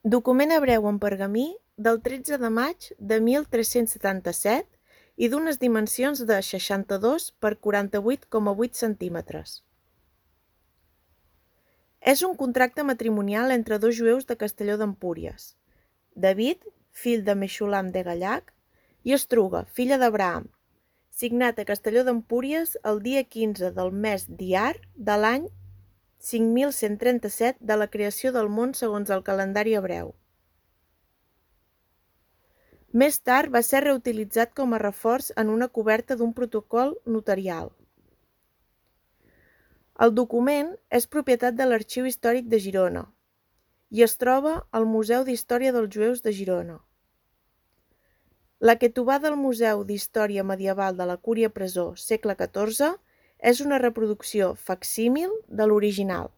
Document hebreu en pergamí del 13 de maig de 1377 i d'unes dimensions de 62 per 48,8 centímetres. És un contracte matrimonial entre dos jueus de Castelló d'Empúries, David, fill de Mexulam de Gallac, i Estruga, filla d'Abraham, signat a Castelló d'Empúries el dia 15 del mes d'Iyar de l'any 5137 de la creació del món segons el calendari hebreu. Més tard va ser reutilitzat com a reforç en una coberta d'un protocol notarial. El document és propietat de l'Arxiu Històric de Girona i es troba al Museu d'Història dels Jueus de Girona. La Ketubà del Museu d'Història Medieval de la Cúria Presó, segle XIV, és una reproducció facsímil de l'original.